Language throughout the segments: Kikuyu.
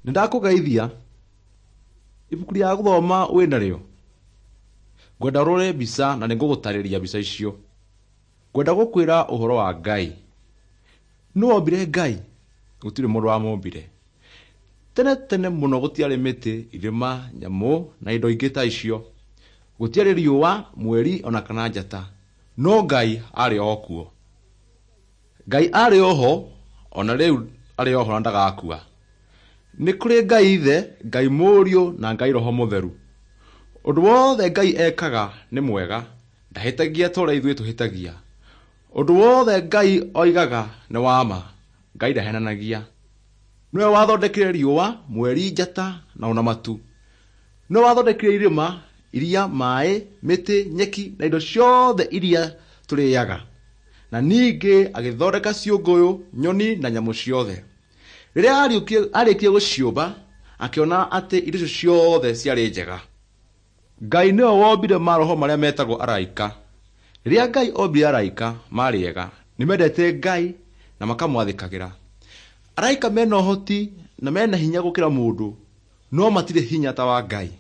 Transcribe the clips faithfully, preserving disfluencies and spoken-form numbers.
Nĩ ndakũgeithia. Ibuku rĩa gũthoma wĩ narĩo? Ngwenda ũrore mbica na nĩngũgũtarĩria mbica icio. Ngwenda gũkwĩra ũhoro wa Ngai. Nũ wombire Ngai? Gũtirĩ mũndũ wamũmbire. Tene tene mũno gũtiarĩ mĩtĩ, irĩma, nyamũ na indo ingĩ ta icio. Gũtiarĩ riũa, mweri ona kana njata. No Ngai arĩ o kuo. Ngai arĩ oho, ona rĩu arĩ oho na ndagakua. Nĩ kũrĩ Ngai Ithe, Ngai Mũriũ na Ngai Roho Mũtheru. Ũndũ wothe Ngai ekaga nĩ mwega, ndahĩtagia ta ũrĩa ithuĩ tũhĩtagia. Ũndũ wothe Ngai oigaga nĩ wa ma, Ngai ndahenanagia. Nĩwe wathondekire riũa, mweri, njata na ona matu. Nĩwe wathondekire irĩma, iria, maĩ, mĩtĩ, nyeki na indo ciothe iria tũrĩaga. Na ningĩ agĩthondeka ciũngũyũ, nyoni na nyamũ ciothe. Rĩrĩa arĩkirie gũciũmba, akĩona atĩ indo icio ciothe ciarĩ njega. Ngai nĩwe wombire maroho marĩa metagwo araika. Rĩrĩa Ngai ombire araika maarĩ ega, nĩmendete Ngai na makamwathĩkagĩra. Araika mena ũhoti na mena hinya gũkĩra mũndũ, no matirĩ hinya ta wa Ngai.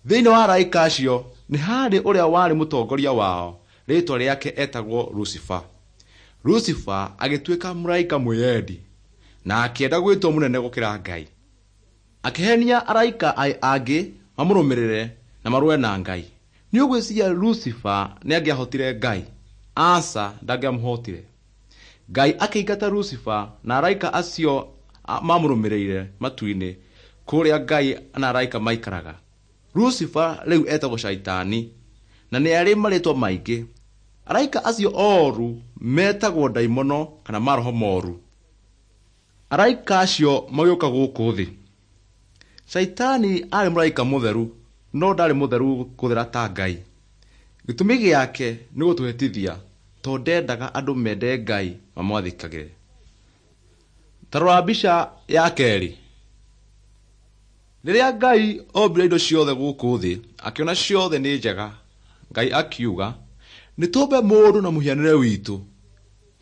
Thĩinĩ wa araika acio nĩ harĩ ũrĩa warĩ mũtongoria wao, rĩĩtwa rĩake etagwo Lucifer. Lucifer agĩtuĩka mũraika mwĩyendi na akĩenda gwĩtwo mũnene gũkĩra Ngai. Akĩhenia araika angĩ mamũrũmĩrĩre na marũe na Ngai. Nĩ ũgwĩciria Lucifer nĩ angĩahotire Ngai? Aca, ndangĩamũhotire. Ngai akĩingata Lucifer na araika acio mamũrũmĩrĩire matu-inĩ kũrĩa Ngai na araika maikaraga. Lucifer rĩu etagwo Shaitani na nĩ arĩ marĩtwa maingĩ. Araika acio oru metagwo ndaimono kana maroho moru. Araika acio magĩũka gũkũ thĩ. Shaitani arĩ mũraika mũtheru, no ndarĩ mũtheru gũthera ta Ngai. Gĩtũmi gĩake nĩ gũtũhĩtithia tondũ ndendaga andũ mende Ngai mamwathĩkagĩre. Ta rora mbica ya kerĩ. Rĩrĩa Ngai ombire indo ciothe gũkũ thĩ, akĩona ciothe nĩ njega. Ngai akiuga, nĩ tũmbe mũndũ na mũhianĩre witũ.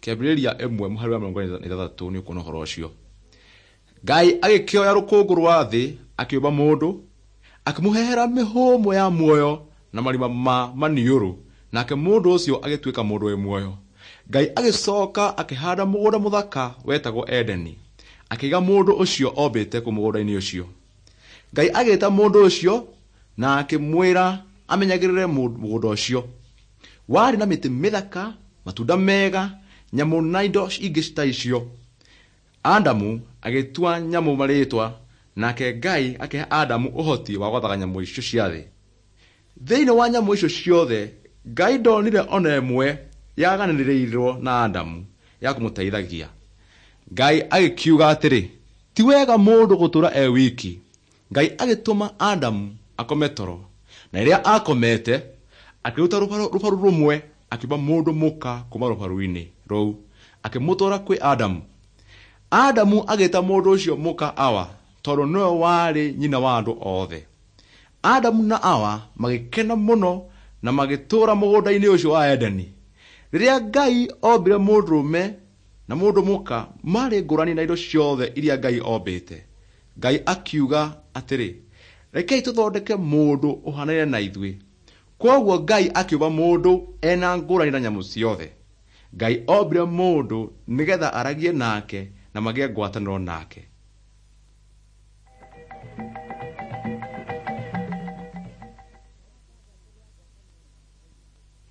Kĩambĩrĩria ĩmwe mũhari wa mĩrongo ĩna na ithathatũ nĩ ũkuona ũhoro ũcio. Ngai agĩkĩoya rũkũngũ rwa thĩ akĩũmba mũndũ, akĩmũhehera mĩhũmũ ya muoyo na marima ma maniũrũ, nake mũndũ ũcio agĩtuĩka mũndũ wĩ muoyo. Ngai agĩcoka akĩhanda mũgũnda mũthaka wetagwo Edeni, akĩiga mũndũ ũcio ombĩte kũu mũgũnda-inĩ ũcio. Ngai agĩta mũndũ ũcio na akĩmwĩra amenyagĩrĩre mũgũnda ũcio. Warĩ na mĩtĩ mĩthaka, matunda mega, nyamũ na indo ingĩ ta icio. Adamu agĩtua nyamũ marĩtwa, nake Ngai akĩhe Adamu ũhoti wa gwathaga nyamũ icio cia thĩ. Thĩinĩ wa nyamũ icio ciothe, Ngai ndonire ona ĩmwe yaganĩrĩirwo na Adamu ya kũmũteithagia. Ngai agĩkiuga atĩrĩ, ti wega mũndũ gũtũũra e wiki. Ngai agĩtũma Adamu akome toro, na rĩrĩa akomete, akĩruta rũbaru rũmwe akĩũmba mũndũ mũka kuma rũbaru-inĩ rũu, akĩmũtwara kwĩ Adamu. Adamu agĩta mũndũ ũcio mũka Awa, tondũ nĩwe warĩ nyina wa andũ othe. Adamu na Awa magĩkena mũno na magĩtũũra mũgũnda-inĩ ũcio wa Edeni. Rĩrĩa Ngai ombire mũndũrũme na mũndũ mũka, marĩ ngũrani na indo ciothe iria Ngai ombĩte. Ngai akiuga atĩrĩ, rekei tũthondeke mũndũ ũhanaine na ithuĩ. Kwoguo Ngai akĩũmba mũndũ ena ngũrani na nyamũ ciothe. Ngai ombire mũndũ nĩgetha aragie nake na magĩe ngwatanĩro nake.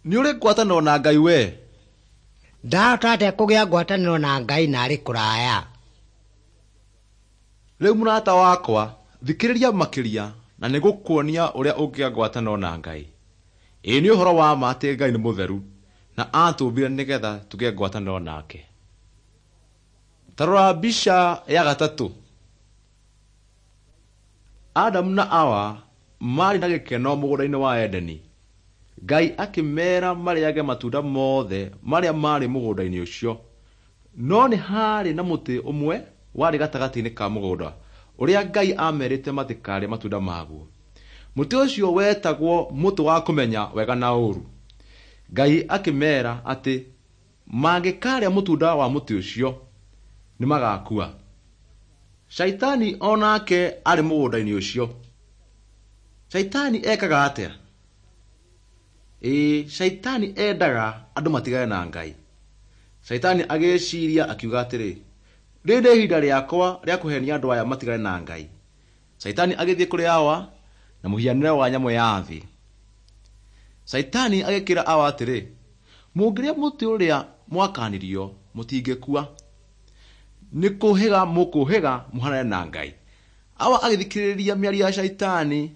Nĩ ũrĩ ngwatanĩro na Ngai we? Ndahota atĩa kũgĩa ngwatanĩro na Ngai na arĩ kũraya? Rĩu mũrata wakwa, thikĩrĩria makĩria na nĩngũkuonia ũrĩa ũngĩgĩa ngwatanĩro na Ngai. Ĩĩ nĩ ũhoro wa ma atĩ Ngai nĩ mũtheru na atũmbire nĩgetha tũgĩe ngwatanĩro nake. Ta rora mbica ya gatatũ. Adamu na Awa maarĩ na gĩkeno mũgũnda-inĩ wa Edeni. Ngai akĩmeera marĩage matunda mothe marĩa maarĩ mũgũnda-inĩ ũcio. No nĩ haarĩ na mũtĩ ũmwe warĩ gatagatĩ-inĩ ka mũgũnda ũrĩa Ngai aamerĩte matikarĩe matunda maguo. Mũtĩ ũcio wetagwo mũtĩ wa kũmenya wega na ũũru. Ngai akĩmeera atĩ mangĩkarĩa mũtunda wa mũtĩ ũcio nĩ magakua. Shaitani o nake arĩ mũgũnda-inĩ ũcio. Shaitani ekaga atĩa? Ĩĩ, Shaitani endaga andũ matigane na Ngai. Shaitani agĩciria akiuga atĩrĩ, rĩrĩ nĩ ihinda rĩakwa rĩa kũhenia andũ aya matigane na Ngai. Shaitani agĩthiĩ kũrĩ Hawa na mũhianĩre wa nyamũ ya thĩ. Shaitani agĩkĩra Hawa atĩrĩ, mũngĩrĩa mũtĩ ũrĩa mwakanirio mũtingĩkua. Nĩ kũhĩga mũkũhĩga mũhanane na Ngai. Hawa agĩthikĩrĩria mĩario ya Shaitani,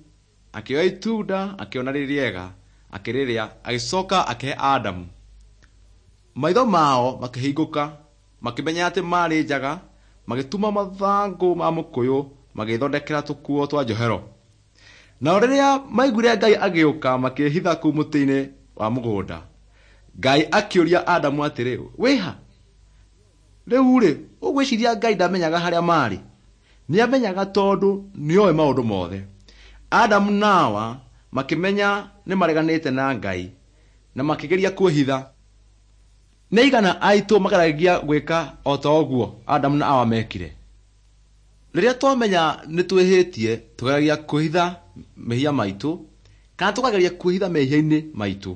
akĩoya itunda, akĩona rĩ rĩega, akĩrĩrĩa, agĩcoka akĩhe Adamu. Maitho mao makĩhingũka, makĩmenya atĩ maarĩ njaga, magĩtuma mathangũ ma mũkũyũ magĩthondekera tũkuo twa njohero. Nao rĩrĩa maiguire Ngai agĩũka makĩĩhitha kũu mũtĩ-inĩ wa mũgũnda. Ngai akĩũria Adamu atĩrĩ, wĩha? Rĩu-rĩ, ũgwĩciria Ngai ndamenyaga harĩa maarĩ? Nĩamenyaga tondũ nĩoĩ maũndũ mothe. Adamu na Hawa makĩmenya nĩmareganĩte na Ngai na makĩgeria kwĩhitha. Nĩ aigana aitũ mageragia gwĩka o ta ũguo Adamu na Hawa mekire? Rĩrĩa twamenya nĩ twĩhĩtie, tũgeragia kwĩhitha mehia maitũ kana tũkageria kwĩhitha mehia-inĩ maitũ.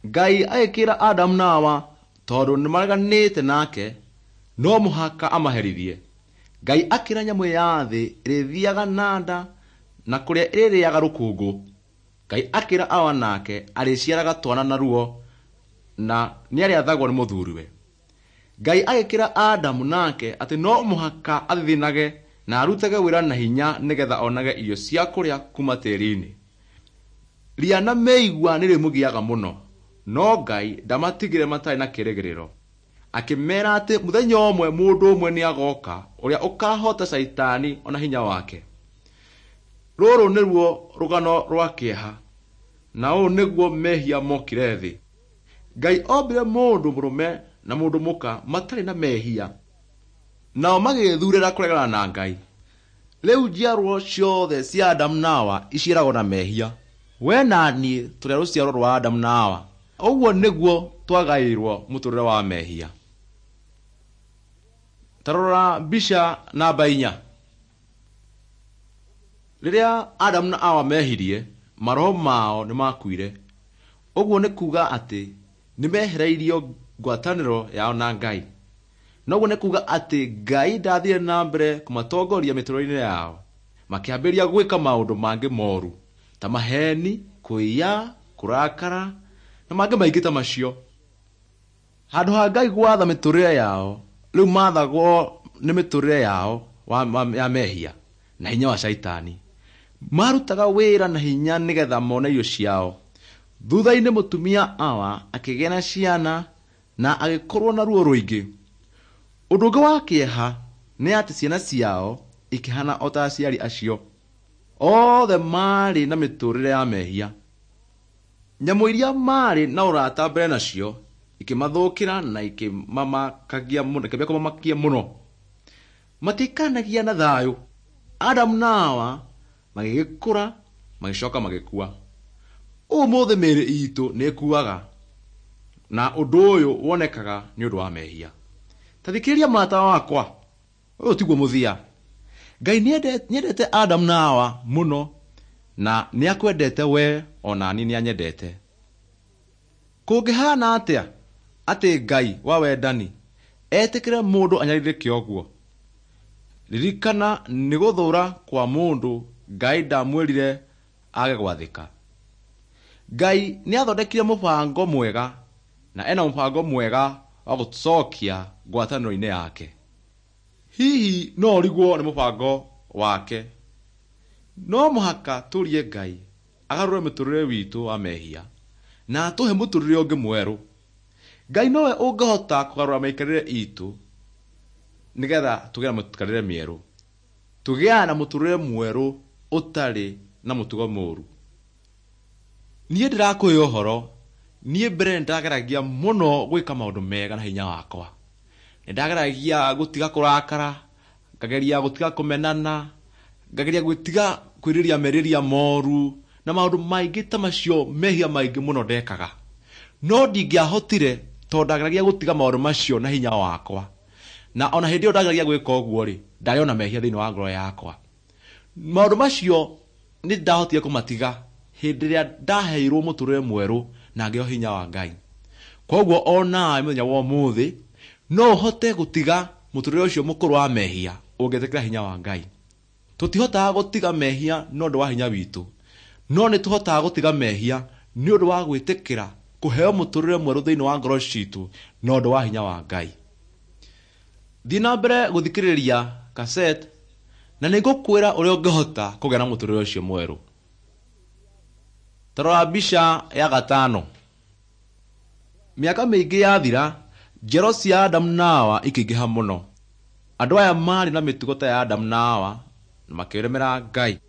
Ngai agĩkĩra Adamu na Hawa tondũ nĩmareganĩte nake no mũhaka amaherithie. Ngai akĩra nyamũ ya thĩ ĩrĩthiaga na nda na kũrĩa ĩrĩrĩaga rũkũngũ. Ngai akĩra Hawa nake arĩciaraga twana na ruo na nĩarĩathagwo nĩ mũthuriwe. Ngai agĩkĩra Adamu nake atĩ no mũhaka athithinage na arutage wĩra na hinya nĩgetha onage irio cia kũrĩa kuma tĩri-inĩ. Ria na mĩigua nĩrĩmũgiaga mũno, no Ngai ndamatigire matarĩ na kĩĩrĩgĩrĩro. Akĩmeera atĩ mũthenya ũmwe mũndũ ũmwe nĩagoka ũrĩa ũkahoota Shaitani ona hinya wake. Rũrũ nĩruo rũgano rwa kĩeha, na ũũ nĩguo mehia mokire thĩ. Ngai ombire mũndũ mũrũme na mũndũ mũka matarĩ na mehia, nao magĩĩthurĩra kũregana na Ngai. Rĩu njiarwo ciothe cia Adamu na Hawa iciaragwo na mehia. We na niĩ tũrĩ a rũciaro rwa Adamu na Hawa. Ũguo nĩguo twagaĩirwo mũtũrĩre wa mehia. Ta rora mbica namba inya. Rĩrĩa Adamu na Hawa mehirie, maroho mao nĩmakuire. Ũguo nĩ kuuga atĩ nĩmehereirio ngwatanĩro yao na Ngai. Noguo nĩ kuuga atĩ Ngai ndathire na mbere kũmatongoria mĩtũrĩre-inĩ yao. Makĩambĩrĩria gwĩka maũndũ mangĩ moru ta maheni, kũiya, kũrakara na mangĩ maingĩ ta macio. Handũ ha Ngai gwatha mĩtũrĩre yao, rĩu maathagwo nĩ mĩtũrĩre yao wa, wa, ya mehia na hinya wa Shaitani. Marutaga wĩra na hinya nĩgetha mone irio ciao. Thutha-inĩ mũtumia Hawa akĩgĩa na ciana na agĩkorwo na ruo rũingĩ. Ũndũ ũngĩ wa kĩeha nĩ atĩ ciana ciao ikĩhana o ta aciari acio. Othe maarĩ na mĩtũrĩre ya mehia. Nyamũ iria maarĩ na ũrata mbere nacio ikĩmathũkĩra na ikĩmamakagia mũno, ikĩambia kũmamakia mũno. Matiikanagia na thayũ. Adamu na Hawa magĩgĩkũra magĩcoka magĩkua. Ũmũthĩ mĩĩrĩ itũ nĩĩkuaga, na ũndũ ũyũ wonekaga nĩ ũndũ wa mehia. Ta thikĩrĩria mũrata wakwa, ũyũ tiguo mũthia. Ngai nĩendete Adamu na Hawa mũno na nĩakwendete we ona niĩ nĩanyendete. Kũngĩhana atĩa atĩ Ngai wa wendani etĩkĩre mũndũ anyarirĩke ũguo? Ririkana nĩ gũthũra kwa mũndũ Ngai ndamwĩrire age gwathĩka. Ngai nĩathondekire mũbango mwega na ena mũbango mwega wa gũtũcokia ngwatanĩro-inĩ yake. Hihi no ũrigwo nĩ mũbango wake? No mũhaka tũrie Ngai agarũre mũtũrĩre witũ wa mehia na atũhe mũtũrĩre ũngĩ mwerũ. Ngai nowe ũngĩhota kũgarũra mĩikarĩre itũ nĩgetha tũgĩe na mĩikarĩre mĩerũ. Tũgĩaga na mũtũrĩre mwerũ ũtarĩ na mũtugo mũru. Niĩ ndĩrakũhe ũhoro, niĩ mbere nĩndageragia mũno gwĩka maũndũ mega na hinya wakwa. Nĩndageragia gũtiga kũrakara, ngageria gũtiga kũmenana, ngageria gũtiga kwĩrirĩria merirĩria moru Na maũndũ maingĩ ta macio, mehia maingĩ mũno ndekaga. No ndingĩahotire tondũ ndageragia gũtiga maũndũ macio na hinya wakwa. Na ona hĩndĩ ĩyo ndageragia gwĩka ũguo rĩ, ndarĩ ona mehia thĩinĩ wa ngoro yakwa. Maũndũ macio nĩ ndahotire kũmatiga hĩndĩ ĩrĩa ndaheirwo mũtũrĩre mwerũ na ngĩheo hinya wa Ngai. Koguo onawe mũthenya wa ũmũthĩ no ũhote gũtiga mũtũrĩre ũcio mũkũrũ wa mehia ũngĩtĩkĩra hinya wa Ngai. Tũtihotaga gũtiga mehia nĩ ũndũ wa hinya witũ, no nĩ tũhotaga gũtiga mehia nĩ ũndũ wa gwĩtĩkĩra kũheo mũtũrĩre mwerũ thĩinĩ wa ngoro citũ na ũndũ wa hinya wa Ngai. Thiĩ na mbere gũthikĩrĩria cassette na nĩ ngũkwĩra ũrĩa ũngĩhota kũgĩa na mũtũrĩre ũcio mwerũ. Ta rora mbica ya gatano. Mĩaka mĩingĩ yathira, njiaro cia Adamu na Hawa ikĩingĩha mũno. Andũ aya maarĩ na mĩtugo ta ya Adamu na Hawa na makĩremera Ngai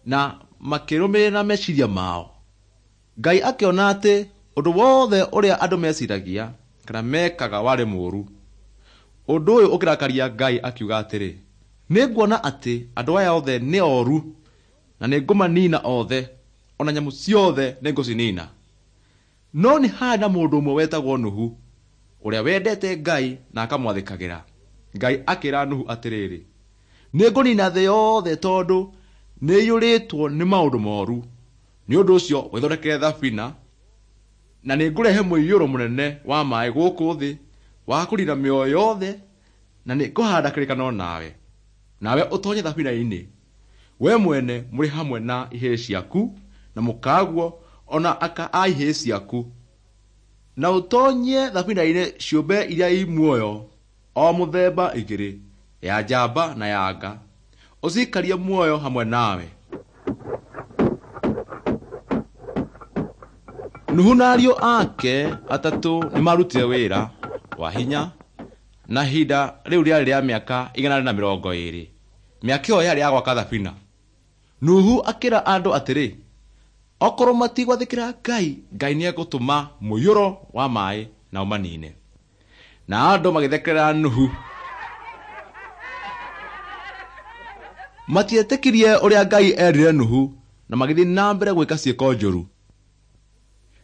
na makĩrũmĩrĩra meciria mao. Ngai akĩona atĩ ũndũ wothe ũrĩa andũ meciragia kana mekaga warĩ mũũru. Ũndũ ũyũ ũkĩrakaria Ngai akiuga atĩrĩ, nĩnguona atĩ andũ aya othe nĩ oru na nĩngũmanina othe, ona nyamũ ciothe nĩngũcinina. No nĩ harĩ na mũndũ ũmwe wetagwo Nuhu, ũrĩa wendete Ngai na akamwathĩkagĩra. Ngai akĩra Nuhu atĩrĩrĩ, nĩngũnina thĩ yothe tondũ nĩiyũrĩtwo nĩ maũndũ moru. Nĩ ũndũ ũcio wĩthondekere thabina, na nĩngũrehe mũiyũro mũnene wa maĩ gũkũ thĩ wa kũnina mĩoyo yothe, na nĩngũhanda kĩrĩkanĩro nawe. Nawe ũtonye thabina-inĩ, we mwene mũrĩ hamwe na ihĩĩ ciaku na mũkaguo ona aka a ihĩĩ ciaku. Na ũtonye thabina-inĩ ciũmbe iria i muoyo o mũthemba igĩrĩ, ya njamba na ya nga, ũcikarie muoyo hamwe nawe. Nuhu na ariũ ake atatũ nĩmarutire wĩra wa hinya, na ihinda rĩu rĩarĩ rĩa mĩaka igana na mĩrongo ĩĩrĩ. Mĩaka ĩyo yarĩ ya gwaka thabina. Nuhu akĩra andũ atĩrĩ, okorwo matigwathĩkĩra Ngai, Ngai nĩegũtũma mũiyũro wa maĩ na ũmanine. Na andũ magĩthekerera Nuhu. Matietĩkirie ũrĩa Ngai erire Nuhu na magĩthiĩ na mbere gwĩka ciĩko njũru.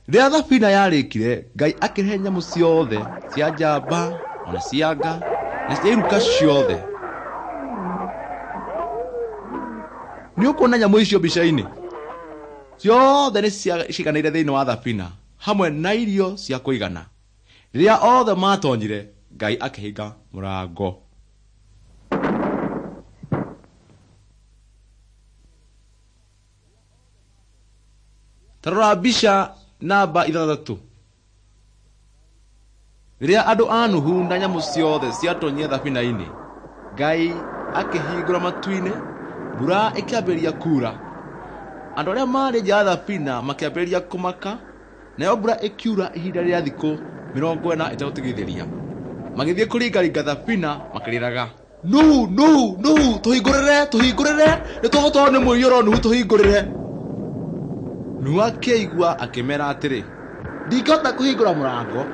Rĩrĩa thabina yarĩkire, Ngai akĩrehe nyamũ ciothe cia njamba ona cia nga na cia iruka ciothe. Nĩ ũkuona nyamũ icio mbica-inĩ? Ciothe nĩ ciiganĩire thĩinĩ wa thabina hamwe na irio cia kũigana. Rĩrĩa othe matonyire, Ngai akĩhinga mũrango. Ta rora mbica namba ithathatũ. Rĩrĩa andũ a Nuhu na nyamũ ciothe ciatonyire thabina-inĩ, Ngai akĩhingũra matu-inĩ, mbura ĩkĩambĩrĩria kuura. Andũ arĩa maarĩ nja ya thabina makĩambĩrĩria kũmaka, nayo mbura ĩkiura ihinda rĩa thikũ mĩrongo ĩna ĩtegũtigithĩria. Magĩthiĩ kũringaringa thabina makĩrĩraga, Nuhu, Nuhu, Nuhu, tũhingũrĩre, tũhingũrĩre, nĩtũgũtwarwo nĩ mũiyũro, Nuhu tũhingũrĩre. Nuhu akĩigua akĩmera atĩrĩ, ndingĩhota kũhingũra mũrango,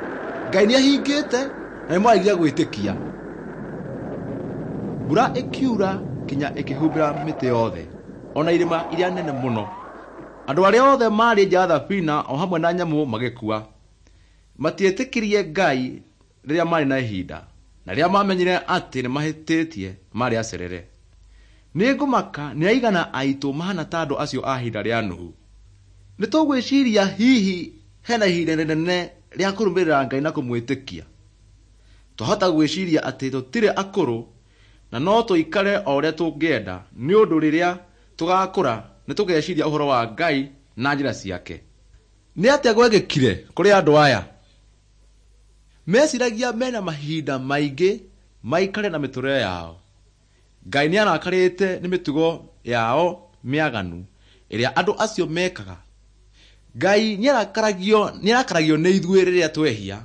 Ngai nĩahingĩte na nĩmwaregire gwĩtĩkia. Mbura ĩkiura kinya ĩkĩhumbĩra mĩtĩ yothe ona irĩma iria nene mũno. Andũ arĩa othe maarĩ nja ya thabina o hamwe na nyamũ magĩkua. Matietĩkirie Ngai rĩrĩa maarĩ na ihinda, na rĩrĩa mamenyire atĩ nĩmahĩtĩtie maarĩ acerere. Nĩngũmaka nĩ aigana aitũ mahana ta andũ acio a ihinda rĩa Nuhu. Nĩ tũgwĩciria hihi hena ihinda rĩnene rĩa kũrũmĩrĩra Ngai na kũmwĩtĩkia. Twahota gwĩciria atĩ tũtirĩ akũrũ na no tũikare o ũrĩa tũngĩenda, nĩ ũndũ rĩrĩa tũgakũra nĩ tũgeciria ũhoro wa Ngai na njĩra ciake. Nĩ atĩa gwekĩkire kũrĩ andũ aya? Meciragia mena mahinda maingĩ maikare na mĩtũrĩre yao. Ngai nĩarakarĩte nĩ mĩtugo yao mĩaganu ĩrĩa andũ acio mekaga. Ngai nĩarakaragio nĩarakaragio nĩ ithuĩ rĩrĩa twehia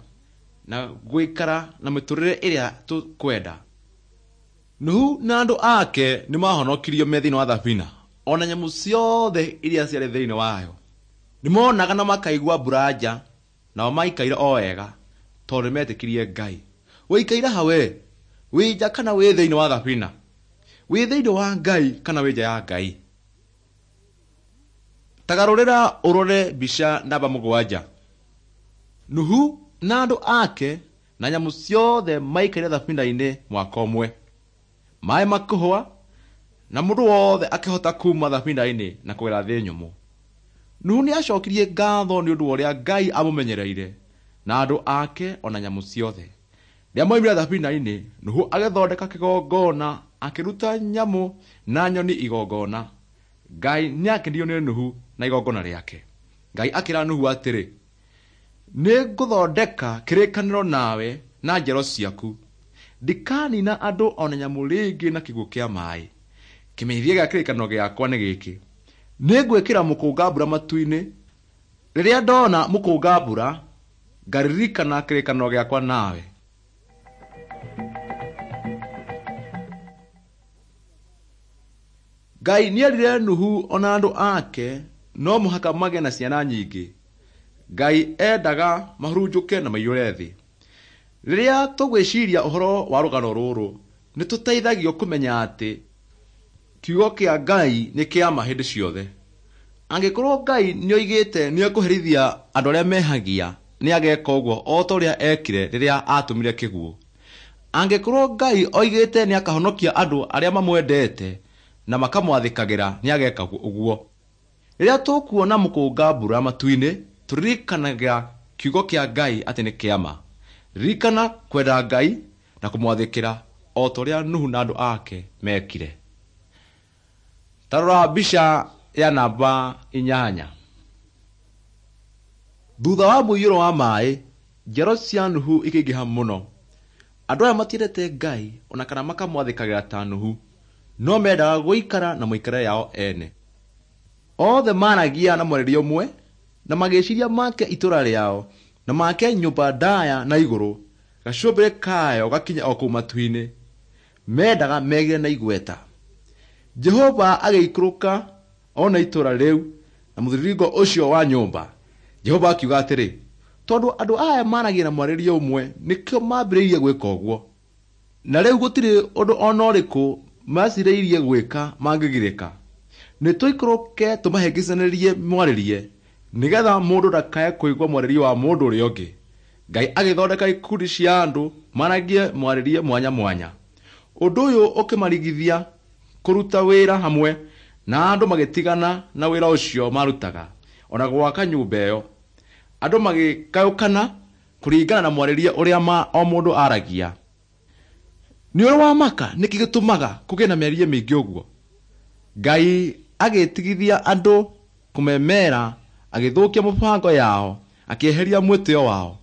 na gwĩkara na mĩtũrĩre ĩrĩa tũkwenda. Nuhu na andũ ake nĩmahonokirio me thĩinĩ wa thabina, ona nyamũ ciothe iria ciarĩ thĩinĩ wayo. Nĩmonaga na makaigua mbura nja, nao maikaire o wega tondũ nĩmetĩkirie Ngai. Wĩikaire ha we? Wĩ nja kana wĩ thĩinĩ wa thabina? Wĩ thĩinĩ wa Ngai kana wĩ nja ya Ngai? Tagarũrĩra ũrore mbica namba mũgwanja. Nuhu na andũ ake na nyamũ ciothe maikarire thabina-inĩ mwaka ũmwe. Maĩ makĩhũa na mũndũ wothe akĩhota kuma thabina-inĩ na kũgera thĩ nyũmũ. Nuhu nĩacokirie ngatho nĩ ũndũ wa ũrĩa Ngai amũmenyereire na andũ ake ona nyamũ ciothe. Rĩrĩa moimire thabina-inĩ, Nuhu agĩthondeka kĩgongona, akĩruta nyamũ na nyoni igongona. Ngai nĩakenirio nĩ Nuhu na igongona rĩake. Ngai akĩra Nuhu atĩrĩ, nĩngũthondeka kĩrĩkanĩro nawe na njiaro ciaku. Ndikanina andũ ona nyamũ rĩngĩ na kĩguũ kĩa maĩ. Kĩmenyithia gĩa kĩrĩkanĩro gĩakwa nĩ gĩkĩ: nĩngwĩkĩra mũkũnga mbura matu-inĩ. Rĩrĩa ndona mũkũnga mbura, ngaririkana kĩrĩkanĩro gĩakwa nawe. Ngai nĩerire Nuhu ona andũ ake no mũhaka magĩe na ciana nyingĩ. Ngai endaga mahurunjũke na maiyũre thĩ. Rĩrĩa tũgwĩciria ũhoro wa rũgano rũrũ, nĩtũteithagio kũmenya atĩ kiugo kĩa Ngai nĩ kĩa ma hĩndĩ ciothe. Angĩkorwo Ngai nĩoigĩte nĩekũherithia andũ arĩa mehagia, nĩageka ũguo o ta ũrĩa ekire rĩrĩa atũmire kĩguũ. Angĩkorwo Ngai oigĩte nĩakahonokia andũ arĩa mamwendete na makamwathĩkagĩra, nĩageka ũguo. Rĩrĩa tũkuona mũkũnga mbura matu-inĩ, tũririkanaga kiugo kĩa Ngai atĩ nĩ kĩa ma. Ririkana kwenda Ngai na kũmwathĩkĩra o ta ũrĩa Nuhu na andũ ake mekire. Ta rora mbica ya namba inyanya. Thutha wa mũiyũro wa maĩ, njiaro cia Nuhu ikĩingĩha mũno. Andũ aya matiendete Ngai ona kana makamwathĩkagĩra ta Nuhu, no mendaga gũikara na mĩikarĩre yao ene. Othe maaragia na mwarĩrie ũmwe na magĩciria make itũũra rĩao na make nyũmba ndaya na igũrũ, gacũmbĩrĩ kayo gakinye o kũu matu-inĩ. Mendaga megĩre na igweta. Jehova agĩikũrũka ona itũũra rĩu na mũthiringo ũcio wa nyũmba. Jehova akiuga atĩrĩ, tondũ andũ aya maaragia na mwarĩrie ũmwe, nĩkĩo mambĩrĩirie gwĩka ũguo. Na rĩu gũtirĩ ũndũ ona ũrĩkũ mecirĩirie gwĩka mangĩgirĩka. Nĩtũikũrũke tũmahĩngĩcanĩrie mwarĩrie, nĩgetha mũndũ ndakae kũigua mwarĩrie wa mũndũ ũrĩa ũngĩ. Ngai agĩthondeka ikundi cia andũ maragie mwarĩrie mwanya mwanya. Ũndũ ũyũ ũkĩmarigithia kũruta wĩra hamwe, na andũ magĩtigana na wĩra ũcio marutaga ona gwaka nyũmba ĩyo. Andũ magĩgayũkana kũringana na mwarĩrie ũrĩa ma o mũndũ aragia. Nĩ ũrĩ wamaka nĩkĩ gĩtũmaga kũgĩe na mĩario mĩingĩ ũguo? Ngai agĩtigithia andũ kũmemera, agĩthũkia mũbango yao, akĩeheria mwĩtĩo wao.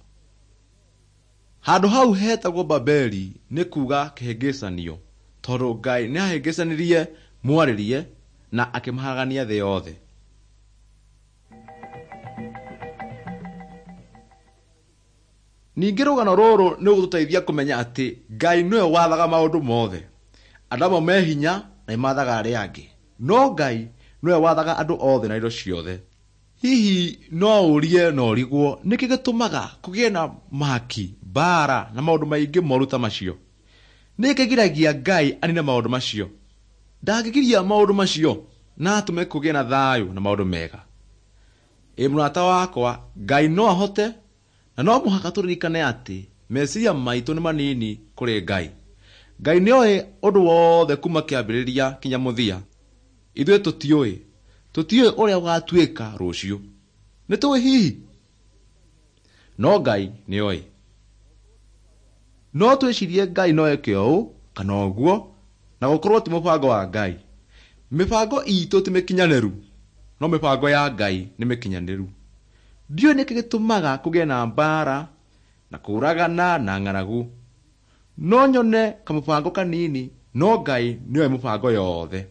Handũ hau hetagwo Babeli nĩ kuga kĩhĩngĩcanio, tondũ Ngai nĩahĩngĩcanirie mwarĩrie na akĩmaharagania thĩ yothe. Ningĩ rũgano rũrũ nĩ rũgũtũteithia kũmenya atĩ Ngai nĩwe wathaga maũndũ mothe. Andũ amwe me hinya na nĩmathaga arĩa angĩ, no Ngai nĩwe wathaga andũ othe na indo ciothe. Hihi no ũrie na ũrigwo nĩkĩ gĩtũmaga kũgĩe na mahaki, mbaara na maũndũ maingĩ moru ta macio? Nĩkĩ kĩgiragia Ngai anine maũndũ macio? Ndangĩgiria maũndũ macio na atũme kũgĩe na thayũ na maũndũ mega. Ĩ mũrata wakwa, Ngai no ahote, na no mũhaka tũririkane atĩ meciria maitũ nĩ manini kũrĩ Ngai. Ngai nĩoĩ ũndũ wothe kuma kĩambĩrĩria kinya mũthia. Ithuĩ tũtiũĩ, tũtiũĩ ũrĩa gũgatuĩka rũciũ. Nĩtũĩ hihi? No Ngai nĩoĩ. No twĩcirie Ngai no eke ũũ kana ũguo, na gũkorwo ti mũbango wa Ngai. Mĩbango itũ ti mĩkinyanĩru, no mĩbango ya Ngai nĩ mĩkinyanĩru. Ndiũĩ nĩkĩ gĩtũmaga kũgĩe na mbaara na kũũragana na ng'aragu. No nyone kamũbango kanini, no Ngai nĩoĩ mũbango yothe.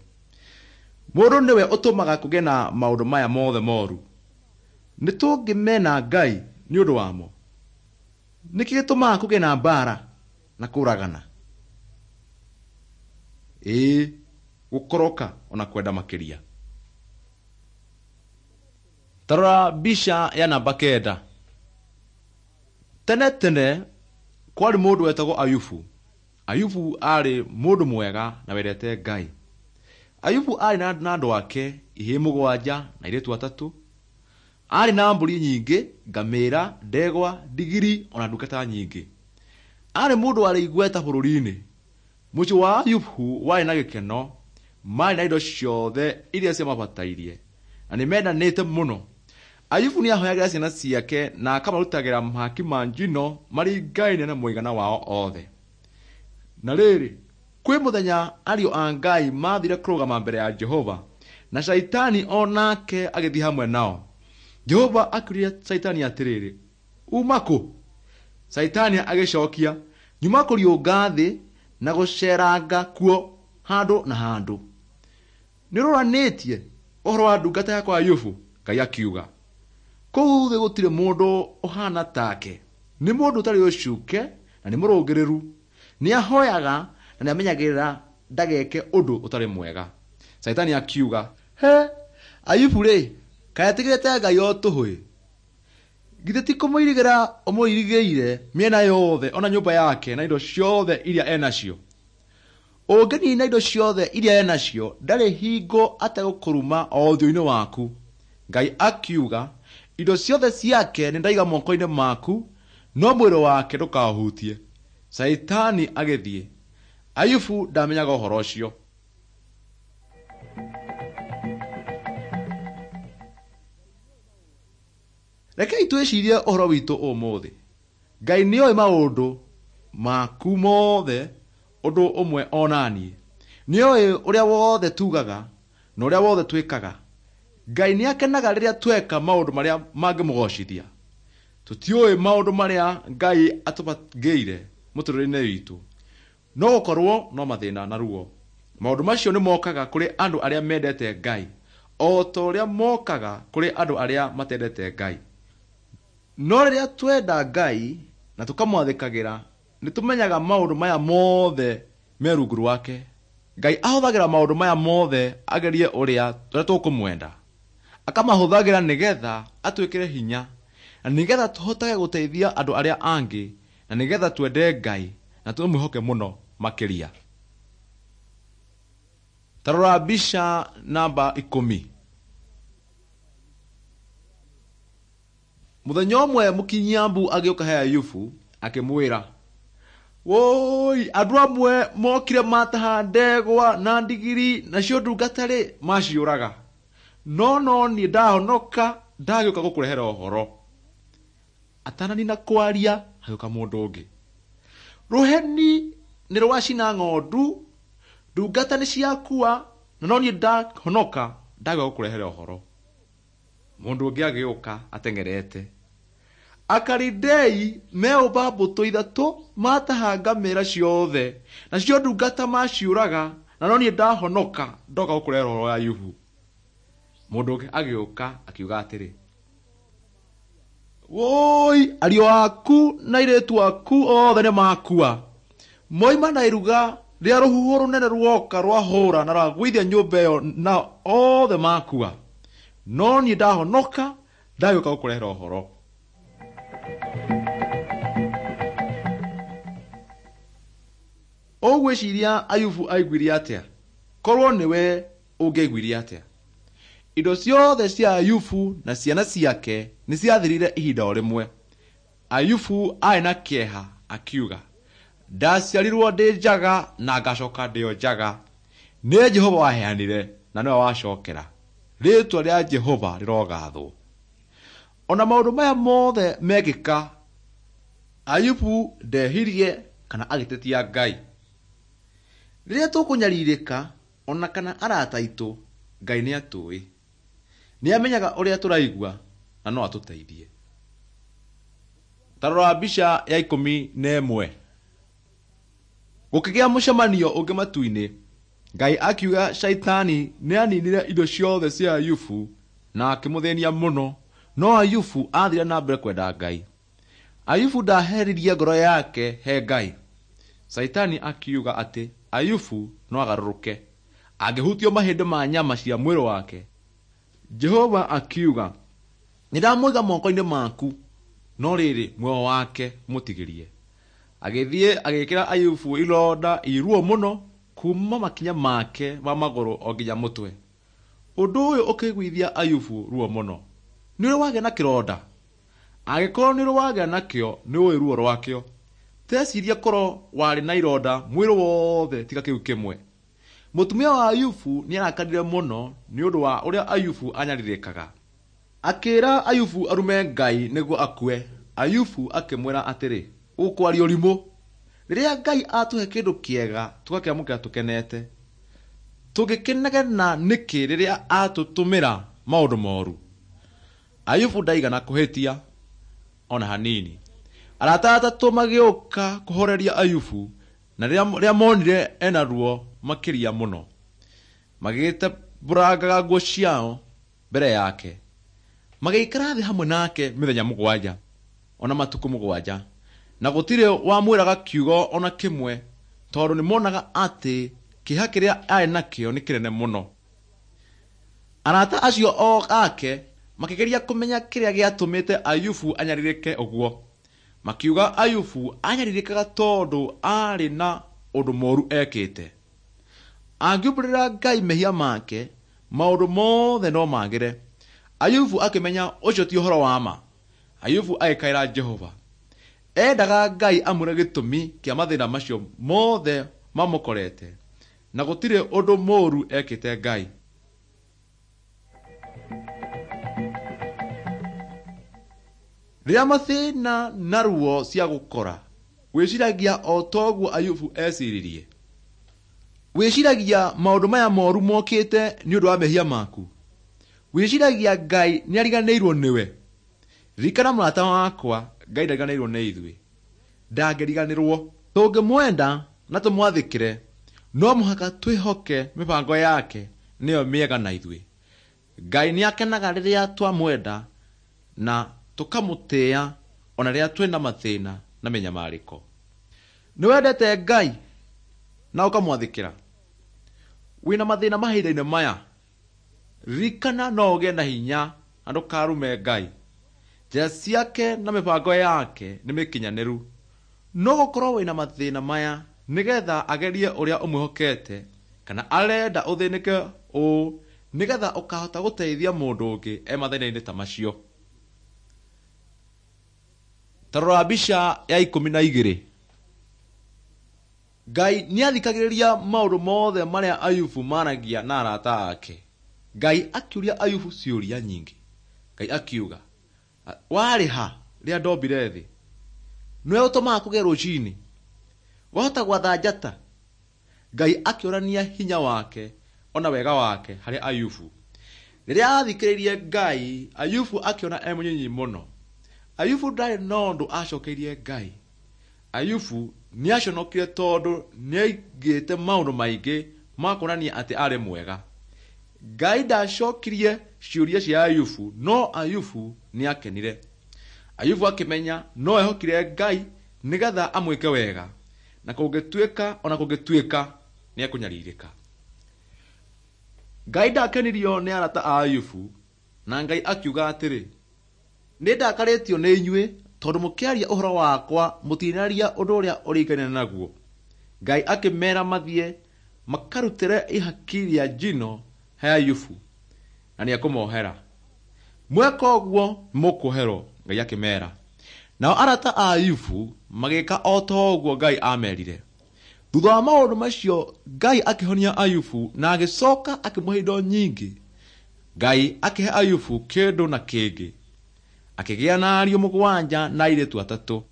Mũndũ nĩwe ũtũmaga kũgĩe na maũndũ maya mothe moru. Nĩtũngĩmena Ngai nĩ ũndũ wamo. Nĩkĩ gĩtũmaga kũgĩe na mbaara na kũũragana? Ĩĩ, gũkoroka ona kwenda makĩria. Ta rora mbica ya namba kenda. Tene tene kwarĩ mũndũ wetagwo Ayubu. Ayubu aarĩ mũndũ mwega na wendete Ngai. Ayubu aarĩ na andũ ake ihĩĩ mũgwanja na airĩtu atatũ. Aarĩ na mbũri nyingĩ, ngamĩĩra, ndegwa, ndigiri ona ndungata nyingĩ. Aarĩ mũndũ warĩ igweta bũrũri-inĩ. Mũciĩ wa Ayubu warĩ na gĩkeno, maarĩ na indo ciothe iria ciamabatairie na nĩmendanĩte mũno. Ayubu nĩahoyagĩra ciana ciake na akamarutagĩra mahaki ma njino maringaine na mũigana wao othe. Na rĩrĩ, kwĩ mũthenya ariũ a Ngai maathire kũrũgama mbere ya Jehova, na Shaitani o nake agĩthiĩ hamwe nao. Jehova akĩũria Shaitani atĩrĩrĩ, "Uma kũ?" Shaitani agĩcokia, "Nyuma kũriũnga thĩ na gũceeranga kuo handũ na handũ." "Nĩũroranĩtie ũhoro wa ndungata yakwa Ayubu?" Ngai akiuga. "Kũu thĩ gũtirĩ mũndũ ũhaana take. Nĩ mũndũ ũtarĩ ũcuuke na nĩ mũrũngĩrĩru. Nĩahoyaga na nĩamenyagĩrĩra ndageke ũndũ ũtarĩ mwega." Shaitani akiuga, "He, Ayubu-rĩ, kaĩ etigĩrĩte Ngai o tũhũ-ĩ? Githĩ ti kũmũirigĩra ũmũirigĩire mĩena yothe o na nyũmba yake na indo ciothe iria enacio? Ũngĩniina indo ciothe iria enacio, ndarĩ hingo ategũkũruma o ũthiũ-inĩ waku." Ngai akiuga, "Indo ciothe ciake nĩndaiga moko-inĩ maku, no mwĩrĩ wake ndũkaũhutie." Shaitani agĩthiĩ. Ayubu ndamenyaga ũhoro ũcio. Rekei twĩcirie ũhoro witũ ũmũthĩ. Ngai nĩoĩ maũndũ maku mothe ũndũ ũmwe o na niĩ. Nĩoĩ ũrĩa wothe tugaga na ũrĩa wothe twĩkaga. Ngai nĩakenaga rĩrĩa tweka maũndũ marĩa mangĩmũgocithia. Tũtiũĩ maũndũ marĩa Ngai atũbangĩire mũtũrĩre-inĩ witũ, no gũkorwo no mathĩna na ruo. Maũndũ macio nĩ mokaga kũrĩ andũ arĩa mendete Ngai o ta ũrĩa mokaga kũrĩ andũ arĩa matendete Ngai. No rĩrĩa twenda Ngai na tũkamwathĩkagĩra, nĩtũmenyaga maũndũ maya mothe me rungu rwake. Ngai ahũthagĩra maũndũ maya mothe agerie ũrĩa ũrĩa tũkũmwenda. Akamahũthagĩra nĩgetha atwĩkĩre hinya, na nĩgetha tũhotage gũteithia andũ arĩa angĩ, na nĩgetha twende Ngai na tũmwĩhoke mũno makĩria. Ta rora mbica namba ikũmi. Mũthenya ũmwe mũkinyambu agĩũka he Ayubu akĩmwĩra, "Wũi, andũ amwe mokire mataha ndegwa na ndigiri, nacio ndungata-rĩ maciũraga. No no niĩ ndahonoka ndagĩũka gũkũrehera ũhoro." Atananina kwaria hagĩũka mũndũ ũngĩ. "Rũheni nĩ rwacina ng'ondu, ndungata nĩ ciakua, na no niĩ ndahonoka ndagĩũka gũkũrehera ũhoro." Mũndũ ũngĩ agĩũka ateng'erete. "Akalidei meũmba mbũtũ ithatũ mataha ngamĩĩra ciothe, nacio ndungata maciũraga, na no niĩ ndahonoka ndoka gũkũrehera ũhoro wa Ayubu." Mũndũ ũngĩ agĩũka akiuga atĩrĩ, "Wũi, ariũ aku na airĩtu aku othe nĩ makua. Moima na iruga rĩa rũhuho rũnene ruoka rwahũra na rwagũithia nyũmba ĩyo na othe makua. No niĩ ndahonoka ndagĩũka gũkũrehera ũhoro." Ũgwĩciria Ayubu aiguire atĩa? Korwo nĩwe ũngĩaiguire atĩa? Indo ciothe cia Ayubu na ciana ciake nĩ ciathirire ihinda o rĩmwe. Ayubu aarĩ na kĩeha akiuga, "Ndaciarirwo ndĩ njaga na ngacoka ndĩ o njaga. Nĩ Jehova waheanire na nĩwe wacokera. Rĩĩtwa rĩa Jehova rĩrogathwo." Ona maũndũ maya mothe mekĩka, Ayubu ndehirie kana agĩtetia Ngai. Rĩrĩa tũkũnyarirĩka ona kana arata aitũ, Ngai nĩatũĩ. Nĩamenyaga ũrĩa tũraigua na no atũteithie. Ta rora mbica ya ikũmi na ĩmwe. Gũkĩgĩa mũcemanio ũngĩ matu-inĩ. Ngai akiuga Shaitani nĩaninire indo ciothe cia Ayubu na akĩmũthĩnia mũno, no Ayubu aathire na mbere kwenda Ngai. Ayubu ndaheririe ngoro yake he Ngai. Shaitani akiuga atĩ Ayubu no agarũrũke angĩhutio mahĩndĩ ma nyama cia mwĩrĩ wake. Jehova akiuga, "Nĩndamũiga moko-inĩ maku, no rĩrĩ muoyo wake mũtigĩrie." Agĩthiĩ agĩĩkĩra Ayubu ironda iruo mũno. Kuma makinya make ma magũrũ o nginya mũtwe. Ũndũ ũyũ ũkĩiguithia Ayubu ruo mũno. Nĩ ũrĩ wagĩa na kĩronda? Angĩkorwo nĩ ũrĩ wagĩa nakĩo, nĩ ũĩ ruo rwakĩo. Teciria korwo warĩ na ironda mwĩrĩ wothe tiga kĩu kĩmwe. Mũtumia wa Ayubu nĩ arakarire mũno nĩ ũndũ wa ũrĩa Ayubu anyarirĩkaga. Akĩra Ayubu arume Ngai nĩguo akue. Ayubu akĩmwĩra atĩrĩ, ũkwaria ũrimũ. Rĩrĩa Ngai atũhe kĩndũ kĩega tũgakĩamũkĩra tũkenete. Tũngĩkĩnegena nĩkĩ rĩrĩa atũtũmĩra maũndũ moru? Ayubu ndaigana kũhĩtia ona hanini. Arata atatũ magĩũka kũhoreria Ayubu na rĩrĩa monire ena ruo makĩria mũno. Magĩtembũrangaga nguo ciao mbere yake. Magĩikara thĩ hamwe nake mĩthenya mũgwanja ona matukũ mũgwanja, na gũtirĩ wamwĩraga kiugo ona kĩmwe tondũ nĩmonaga atĩ kĩeha kĩrĩa arĩ nakĩo nĩ kĩnene mũno. Arata acio o ake makĩgeria kũmenya kĩrĩa gĩatũmĩte Ayubu anyarirĩke ũguo. Makiuga Ayubu anyarirĩkaga tondũ aarĩ na ũndũ mũũru ekĩte. Angiumbũrĩra Ngai mehia make, maũndũ mothe no magĩre. Ayubu akĩmenya ũcio ti ũhoro wa ma. Ayubu agĩkaĩra Jehova. Endaga Ngai amwĩre gĩtũmi kĩa mathĩna macio mothe mamũkorete, na gũtirĩ ũndũ mũũru ekĩte Ngai. Rĩrĩa mathĩna na ruo cia gũkora, wĩciragia o toguo Ayubu eciririe. Wĩciragia maũndũ maya moru mokĩte nĩ ũndũ wa mehia maku. Wĩciragia Ngai nĩariganĩirwo nĩwe. Ririkana mũrata wakwa, Ngai ndariganĩirwo nĩ ithuĩ. Ndangĩriganĩrwo. Tũngĩmwenda na tũmwathĩkĩre, no mũhaka twĩhoke mĩbango yake nĩyo mĩega na ithuĩ. Ngai nĩakenaga rĩrĩa twamwenda na tũkamũtĩĩa ona rĩrĩa twĩna mathĩna na mĩnyamarĩko. Nĩwendete Ngai na ũkamwathĩkĩra? Wĩna mathĩna mahinda-inĩ maya? Ririkana no ũgĩe na hinya na ndũkarume Ngai. Njĩra ciake na mĩbango yake nĩ mĩkinyanĩru. No gũkorwo wĩna mathĩna maya nĩgetha agerie ũrĩa ũmwĩhokete, kana arenda ũthĩnĩke ũũ nĩgetha ũkahota gũteithia mũndũ ũngĩ e mathĩna-inĩ ta macio. Ta rora mbica ya ikũmi na igĩrĩ. Ngai nĩathikagĩrĩria maũndũ mothe marĩa Ayubu maragia na arata ake. Ngai akĩũria Ayubu ciũria nyingĩ. Ngai akiuga, warĩ ha rĩrĩa ndombire thĩ? Nĩwe ũtũmaga kũgĩe rũcinĩ? Wahota gwatha njata? Ngai akĩonania hinya wake ona wega wake harĩ Ayubu. Rĩrĩa athikĩrĩirie Ngai, Ayubu akĩona e mũnyinyi mũno. Ayubu ndarĩ na ũndũ acokeirie Ngai. Ayubu nĩaconokire tondũ nĩaigĩte maũndũ maingĩ ma kuonania atĩ arĩ mwega. Ngai ndacokirie ciũria cia Ayubu, no Ayubu nĩakenire. Ayubu akĩmenya no ehokire Ngai nĩgetha amwĩke wega, na kũngĩtuĩka ona kũngĩtuĩka nĩekũnyarirĩka. Ngai ndakenirio nĩ arata a Ayubu, na Ngai akiuga atĩrĩ, nĩ ndakarĩtio nĩ inyuĩ tondũ mũkĩaria ũhoro wakwa mũtinaria ũndũ ũrĩa ũringaine naguo. Ngai akĩmeera mathiĩ makarutĩre ihaki rĩa njino he Ayubu, na nĩekũmohera. Mweka ũguo nĩmũkuoherwo, Ngai akĩmeera. Nao arata a Ayubu magĩka o ta ũguo Ngai aamerire. Thutha wa maũndũ macio Ngai akĩhonia Ayubu na agĩcoka akĩmũhe indo nyingĩ. Ngai akĩhe Ayubu kĩndũ na kĩngĩ. Akĩgĩa na ariũ mũgwanja na airĩtu atatũ.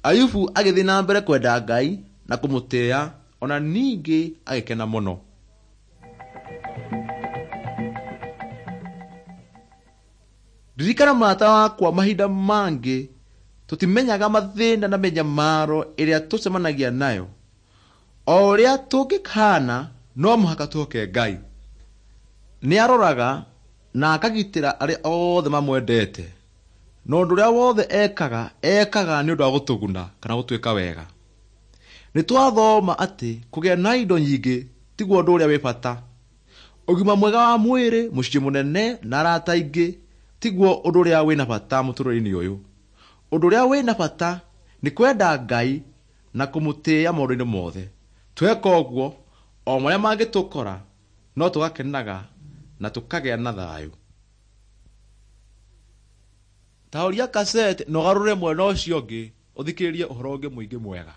Ayubu agĩthiĩ na mbere kwenda Ngai na kũmũtĩĩa, ona ningĩ agĩkena mũno. Ririkana mũrata wakwa, mahinda mangĩ tũtimenyaga mathĩna na mĩnyamaro ĩrĩa tũcemanagia nayo. O ũrĩa tũngĩkahana, no mũhaka twĩhoke Ngai. Nĩaroraga na akagitĩra arĩa othe mamwendete. Na ũndũ ũrĩa wothe ekaga, ekaga nĩ ũndũ wa gũtũguna kana gũtwĩka wega. Nĩ twathoma atĩ kũgĩa na indo nyingĩ tiguo ũndũ ũrĩa wĩ bata. Ũgima mwega wa mwĩrĩ, mũciĩ mũnene na arata aingĩ tiguo ũndũ ũrĩa wĩna bata mũtũrĩre-inĩ ũyũ. Ũndũ ũrĩa wĩna bata nĩ kwenda Ngai na kũmũtĩĩa maũndũ-inĩ mothe. Tweka ũguo, o marĩa mangĩtũkora no tũgakenaga na tũkagĩa na thayũ. Ta ũria kaseti na ũgarũre mwena ũcio ũngĩ ũthikĩrĩrie ũhoro ũngĩ mũingĩ mwega.